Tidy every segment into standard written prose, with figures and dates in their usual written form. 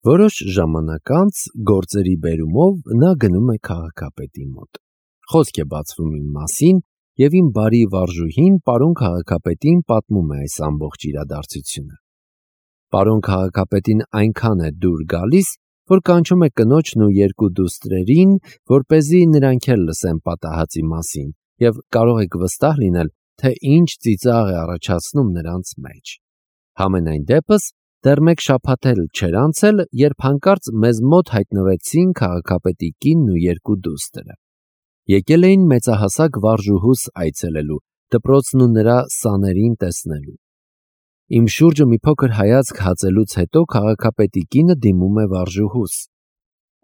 Որոշ ժամանակ անց գործերի բերումով նա գնում է քաղաքապետի մոտ։ Խոսք է բացվում իմ մասին, եւ իմ բարի վարժուհին պարոն քաղաքապետին պատմում է այս ամբողջ իրադարձությունը։ Պարոն քաղաքապետին այնքան է դուր գալիս, որ կանչում է կնոջն ու երկու դուստրերին, որպեսզի նրանք էլ լսեն պատահածի մասին, եւ կարող եք վստահ լինել, թե ինչ ծիծաղ է առաջացնում նրանց մեջ։ Համենայն դեպս, դեռ մեկ շաբաթ էլ չէր անցել, երբ հանկարծ մեզ մոտ հայտնվեցին քաղաքապետի կինն ու երկու դուստրը։ Եկել էին մեծահասակ վարժուհուս այցելելու, դպրոցն ու նրա սաներին տեսնելու։ Իմ շուրջը մի փոքր հայացք հածելուց հետո քաղաքապետի կինը դիմում է վարժուհուս.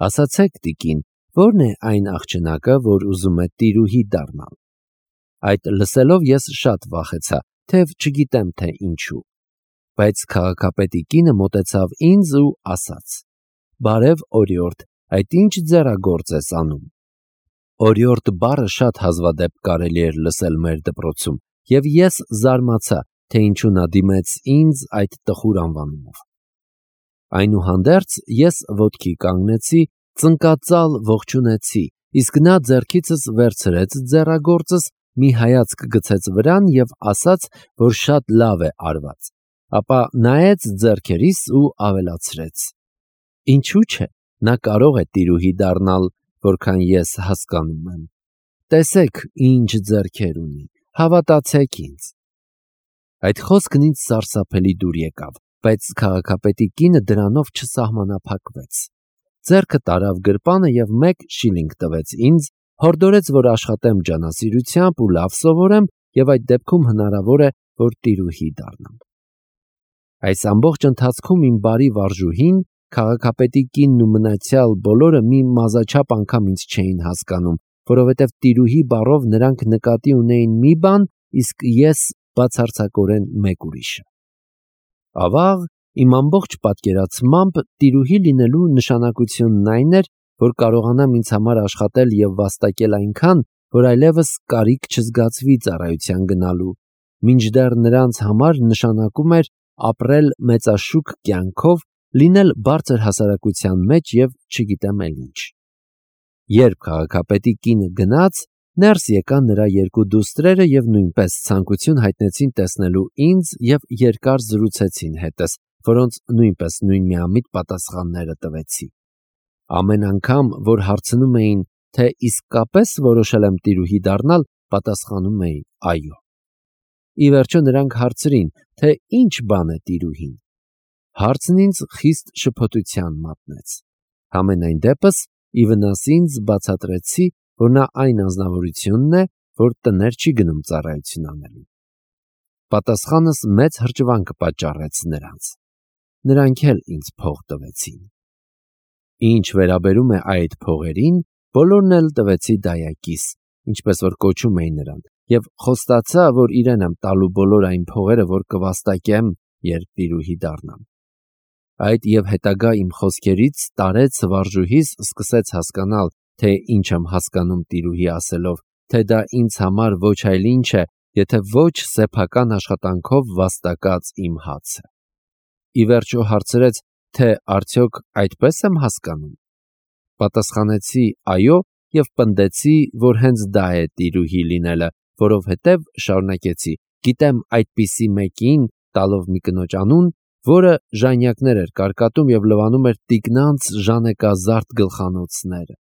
«Ասացեք, տիկին, ո՞րն է այն աղջնակը, որ ուզում է տիրուհի դառնալ»։ Այդ լսելով ես շատ վախեցա, թեև չգիտեմ թե ինչու։ Բայց քաղաքապետի կինը մոտեցավ ինձ ու ասաց. «Բարև, օրիորդ, այդ ինչ ձեռագործ ես անում»։ Օրիորդ բառը շատ հազվադեպ կարելի էր լսել մեր դպրոցում, եւ ես զարմացա, թե ինչու նա դիմեց ինձ այդ տխուր անվանումով։ Այնուհանդերձ ես ոտքի կանգնեցի, ծնկածալ ողջունեցի, իսկ նա ձեռքիցս վերցրեց ձեռագործս, մի հայացք գցեց վրան եւ ասաց, որ շատ լավ է արված, ապա նայեց ձեռքերիս ու ավելացրեց. «Ինչու՞ չէ, նա կարող է տիրուհի դառնալ, որքան ես հասկանում եմ։ Տեսեք, ինչ ձեռքեր ունի, հավատացեք ինձ»։ Այդ խոսքն ինձ սարսափելի դուր եկավ, բայց քաղաքապետի կինը դրանով չսահմանափակվեց։ Ձեռքը տարավ գրպանը եւ 1 շիլինգ տվեց ինձ, հորդորեց, որ աշխատեմ ջանասիրությամբ ու լավ սովորեմ, եւ այդ դեպքում հնարավոր է, որ տիրուհի դառնամ։ Այս ամբողջ ընթացքում իմ բարի վարժուհին, քաղաքապետի կինն ու մնացյալ բոլորը մի մազաչափ անգամ ինձ չէին հասկանում, որովհետև տիրուհի բառով նրանք նկատի ունեին մի բան, իսկ ես բացարձակորեն մեկ ուրիշը։ Ավաղ, իմ ամբողջ պատկերացմամբ տիրուհի լինելու նշանակությունն այն էր, որ կարողանամ ինձ համար աշխատել եւ վաստակել այնքան, որ այլևս կարիք չզգացվի ծառայության գնալու, մինչդեռ նրանց համար նշանակում էր ապրել մեծաշուք կյանքով, լինել բարձր հասարակության մեջ եւ չգիտեմ էլ ինչ։ Երբ քաղաքապետի կինը գնաց, ներս եկան նրա երկու դուստրերը եւ նույնպես ցանկություն հայտնեցին տեսնելու ինձ եւ երկար զրուցեցին հետս, որոնց նույնպես նույնմիամիտ պատասխանները տվեցի։ Ամեն անգամ, որ հարցնում էին, թե իսկապես որոշել եմ տիրուհի դառնալ, պատասխանում էի այո։ Ի վերջո նրանք հարցրին, թե ինչ բան է տիրուհին։ Հարցն ինձ խիստ շփոթության մատնեց։ Համենայն դեպս, ի վնաս ինձ բացատրեցի, որ նա այն անձնավորությունն է, որ տներ չի գնում ծառայություն անելու։ Պատասխանս մեծ հրճվանք պատճառեց նրանց։ Նրանք էլ ինձ փող տվեցին։ Ինչ վերաբերում է այդ փողերին, բոլորն էլ տվեցի դայակիս, ինչպես որ կոչում էին նրան, եւ խոստացա, որ իրեն եմ տալու բոլոր այն փողերը, որ կվաստակեմ, երբ տիրուհի դառնամ։ Այդ եւ հետագա իմ խոսքերից տարեց վարժուհիս սկսեց հասկանալ, թե ինչ եմ հասկանում տիրուհի ասելով, թե դա ինձ համար ոչ այլ ինչ է, եթե ոչ սեփական աշխատանքով վաստակած իմ հացը։ Ի վերջո հարցրեց, թե արդյոք այդպես եմ հասկանում։ Պատասխանեցի այո եւ պնդեցի, որ հենց դա է տիրուհի լինելը, որովհետեւ շարունակեցի, գիտեմ այդպիսի մեկին, տալով մի կնոջ անուն, որը ժանյակներ էր կարկատում եւ լվանում էր տիկնանց ժանեկազարդ գլխանոցները։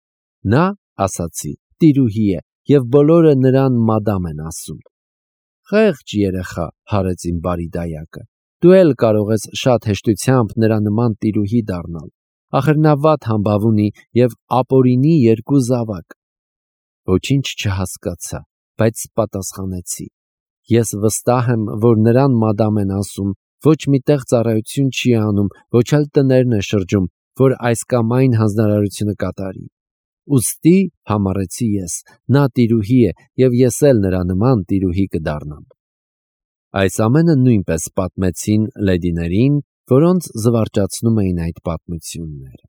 Նա, ասացի, տիրուհի է եւ բոլորը նրան մադամ են ասում։ Խեղճ երեխա, հարեց իմ բարի դայակը, դու էլ կարող ես շատ հեշտությամբ նրա նման տիրուհի դառնալ։ Ախր նա վատ համբավ ունի եւ ապօրինի 2 զավակ։ Ոչինչ չհասկացա, բայց պատասխանեցի. ես վստահ եմ, որ նրան մադամ են ասում, ոչ միտեղ ծառայություն չի անում, ոչ էլ տներն է շրջում, որ այս կամ այն հանձնարարությունը կատարի։ Ուստի, համառեցի ես, նա տիրուհի է եւ ես էլ նրա նման տիրուհի կդառնամ։ Այս ամենը նույնպես պատմեցին լեդիներին, որոնց զվարճացնում էին այդ պատմությունները։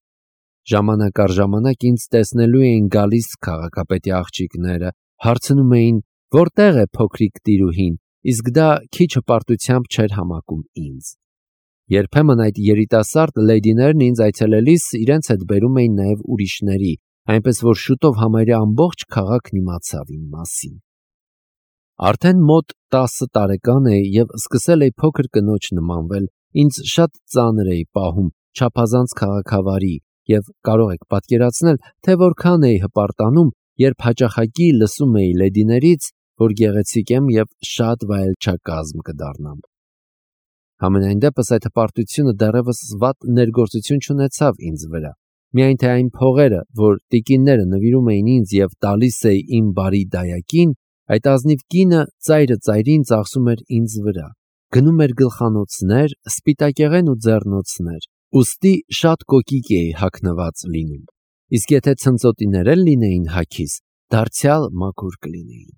Ժամանակ առ ժամանակ ինձ տեսնելու էին գալիս քաղաքապետի աղջիկները, հարցնում էին, որտեղ է փոքրիկ տիրուհին, իսկ դա քիչ հպարտությամբ չէր համակում ինձ։ Երբեմն այդ երիտասարդ լեդիներն ինձ այցելելիս իրենց հետ բերում էին նաև ուրիշների, այնպես որ շուտով համարյա ամբողջ քաղաքն իմացավ իմ մասին։ Արդեն մոտ 10 տարեկան էի և սկսել էի փոքր կնոջ նմանվել, ինձ շատ ծանր էի պահում, չափազանց քաղաքավարի, և կարող եք պատկերացնել, թե որքան էի հպարտանում, երբ հաճախակի լսում էի լեդիներից, որ գեղեցիկ եմ և շատ վայելչակազմ կդառնամ։ Համենայն դեպս այդ հպարտությունը դեռևս վատ ներգործություն չունեցավ ինձ վրա, միայն թե այն փողերը, որ տիկինները նվիրում էին ինձ և տալիս էի իմ բարի դայակին, այդ ազնիվ կինը ծայրը ծայրին ծախսում էր ինձ վրա, գնում էր գլխանոցներ, սպիտակեղեն ու ձեռնոցներ, ուստի շատ կոկիկ էի հագնված լինում, իսկ եթե ցնծոտիներ էլ լինեին հագիս, դարձյալ մաքուր կլինեին։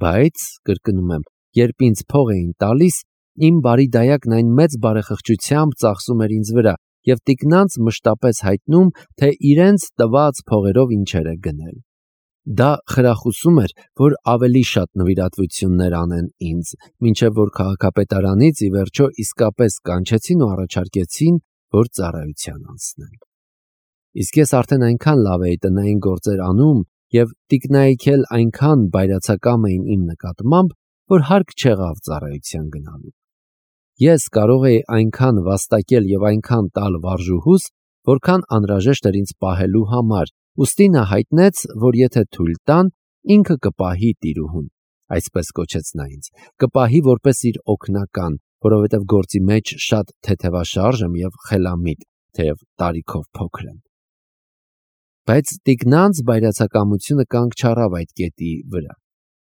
Բայց, կրկնում եմ, երբ ինձ փող էին տալիս, իմ բարի դայակն այն մեծ բարեխղճությամբ ծախսում էր ինձ վրա և տիկնանց մշտապես հայտնում, թե իրենց տված փողերով ինչեր է գնել։ Դա խրախուսում էր, որ ավելի շատ նվիրատվություններ անեն ինձ, մինչև որ քաղաքապետարանից ի վերջո իսկապես կանչեցին ու առաջարկեցին, որ ծառայության անցնեմ։ Իսկ ես արդեն այնքան լավ էի տնային գործեր անում և տիկնայք էլ այնքան բայրացակամ էին իմ նկատմամբ, որ հարկ չեղավ ծառայության գնալու։ Ես կարող էի այնքան վաստակել և այնքան տալ վարժուհուս, որքան անհրաժեշտ էր ինձ պահելու համար, ուստի նա հայտնեց, որ եթե թույլ տան, ինքը կպահի տիրուհուն, այսպես կոչեց նա ինձ, կպահի որպես իր օգնական, որովհետև գործի մեջ շատ թեթևաշարժ եմ և խելամիտ, թեև տարիքով փոքր եմ։ Բայց տիկնանց բայրացակամությունը կանգ չառավ այդ կետի վրա։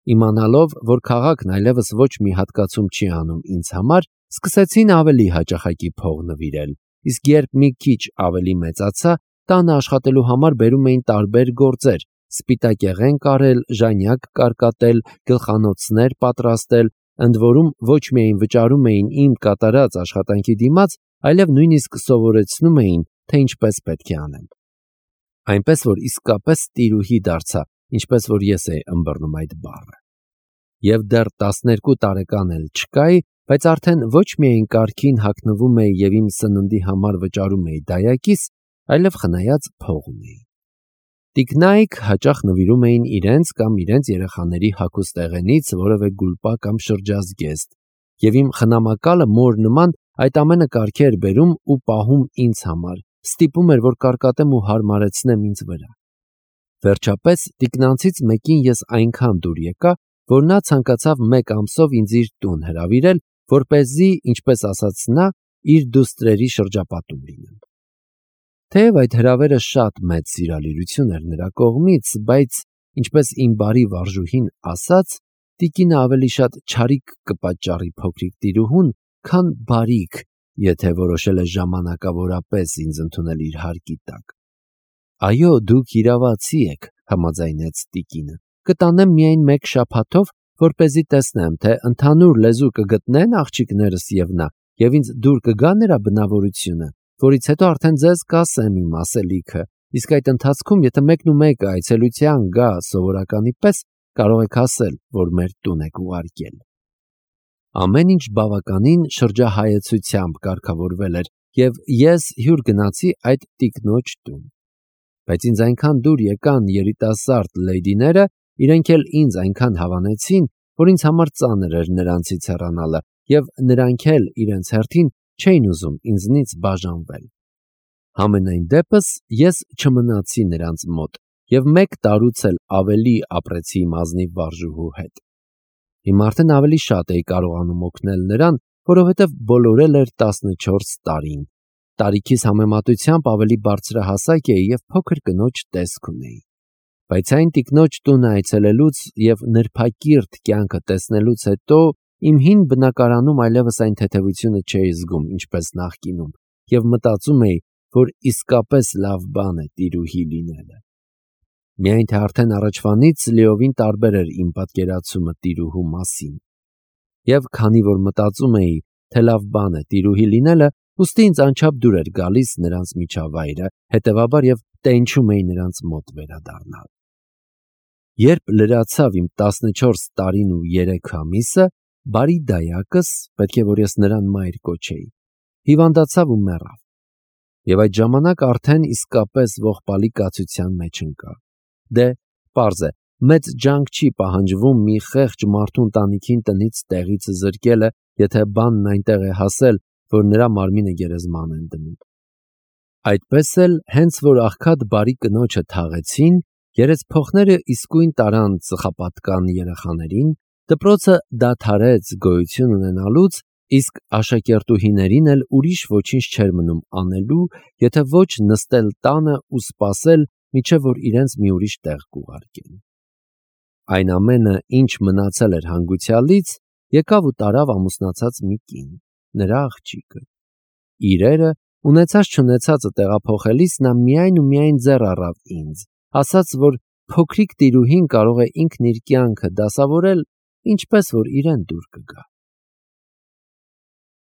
Իմանալով, որ քաղաքն այլևս ոչ մի հատկացում չի անում ինձ համար, սկսեցին ավելի հաճախակի փող նվիրել, իսկ երբ մի քիչ ավելի մեծացա, տանը աշխատելու համար բերում էին տարբեր գործեր, սպիտակեղեն կարել, ժանյակ կարկատել, գլխանոցներ պատրաստել, ընդ որում ոչ միայն վճարում էին իմ կատարած աշխատանքի դիմաց, այլև նույնիսկ սովորեցնում էին, թե ինչպես պետք է անեմ։ Այնպես որ իսկապես տիրուհի դարձա, ինչպես որ ես էի ըմբռնում այդ բառը։ Եվ դեռ 12 տարեկան էլ չկայի, բայց արդեն ոչ միայն կարգին հագնվում էի և իմ սննդի համար վճարում էի դայակիս, այլև խնայած փող ունեի։ Տիկնայք հաճախ նվիրում էին իրենց կամ իրենց երեխաների հագուստեղենից որևէ գուլպա կամ շրջազգեստ, և իմ խնամակալը մոր նման այդ ամենը կարգի էր բերում ու պահում ինձ համար, ստիպում էր, որ կարկատեմ ու հարմարեցնեմ ինձ վրա։ Վերջապես տիկնանցից մեկին ես այնքան դուր եկա, որ նա ցանկացավ մեկ ամսով ինձ իր տուն հրավիրել, որպեսզի, ինչպես ասաց նա, իր դուստրերի շրջապատում լինեմ։ Թեև այդ հրավերը շատ մեծ սիրալիրություն էր նրա կողմից, բայց, ինչպես իմ բարի վարժուհին ասաց, տիկինը ավելի շատ չարիք կպատճառի փոքրիկ տիրուհուն, քան բարիք, եթե որոշել է ժամանակավորապես ինձ ընդունել իր հարկի տակ։ Այո, դուք իրավացի եք, համաձայնեց տիկինը, կտանեմ միայն մեկ շաբաթով, որպեսզի տեսնեմ, թե ընդհանուր լեզու կգտնեն աղջիկներս և նա, և ինձ դուր կգա նրա բնավորությունը, որից հետո արդեն ձեզ կասեմ իմ ասելիքը, իսկ այդ ընթացքում, եթե մեկնումեկը այցելության գա սովորականի պես, կարող եք ասել, որ մեր տուն եք ուղարկել։ Ամեն ինչ բավականին շրջահայեցությամբ կարգավորվել էր, և ես հյուր գնացի այդ տիկնոջ տուն։ Բայց ինձ այնքան դուր եկան երիտասարդ լեդիները, իրենք էլ ինձ այնքան հավանեցին, որ ինձ համար ծանր էր նրանցից հեռանալը, և նրանք էլ իրենց հերթին չէին ուզում ինձնից բաժանվել։ Համենայն դեպս ես չմնացի նրանց մոտ և 1 տարուց էլ ավելի ապրեցի իմ ազնիվ վարժուհու հետ։ Հիմա արդեն ավելի շատ էի կարողանում օգնել նրան, որովհետև բոլորել էր 14 տարին։ Տարիքիս համեմատությամբ ավելի բարձրահասակ էի և փոքր կնոջ տեսք ունեի։ Բայց այն տիկնոջ տունը այցելելուց և նրբակիրթ կյանքը տեսնելուց հետո իմ հին բնակարանում այլևս այն թեթևությունը չէի զգում, ինչպես նախկինում, և մտածում էի, որ իսկապես լավ բան է տիրուհի լինելը։ Միայն թե արդեն առաջվանից լիովին տարբեր էր իմ պատկերացումը տիրուհու մասին։ Եվ քանի որ մտածում էի, թե լավ բան է տիրուհի լինելը, ուստի ինձ անչափ դուր էր գալիս նրանց միջավայրը, հետևաբար և տենչում էի նրանց մոտ վերադառնալ։ Երբ լրացավ իմ 14 տարին ու 3 ամիսը, բարի դայակս, պետք է որ ես նրան մայր կոչեի, հիվանդացավ ու մեռավ։ Եվ այդ ժամանակ արդեն իսկապես ողբալի կացության մեջ ընկա։ Դե, պարզ է, մեծ ջանք չի պահանջվում մի խեղճ մարդու ընտանիքին տնից տեղից զրկելը, եթե բանն այնտեղ է հասել, որ նրա մարմինը գերեզման են դնում։ Այդպես էլ, հենց որ աղքատ բարի կնոջը թաղեցին, երեցփոխները իսկույն տարան ծխապատկան երեխաներին, դպրոցը դադարեց գոյություն ունենալուց, իսկ աշակերտուհիներին էլ ուրիշ ոչինչ չէր մնում անելու, եթե ոչ նստել տանը ու սպասել, մինչև որ իրենց մի ուրիշ տեղ կուղարկեն։ Այն ամենը, ինչ մնացել էր հանգուցյալից, եկավ ու տարավ ամուսնացած մի կին, նրա աղջիկը։ Իրերը, ունեցած-չունեցածը տեղափոխելիս նա միայն ու միայն ձեռ առավ ինձ, ասաց, որ փոքրիկ տիրուհին կարող է ինքն իր կյանքը դասավորել, ինչպես որ իրեն դուր կգա։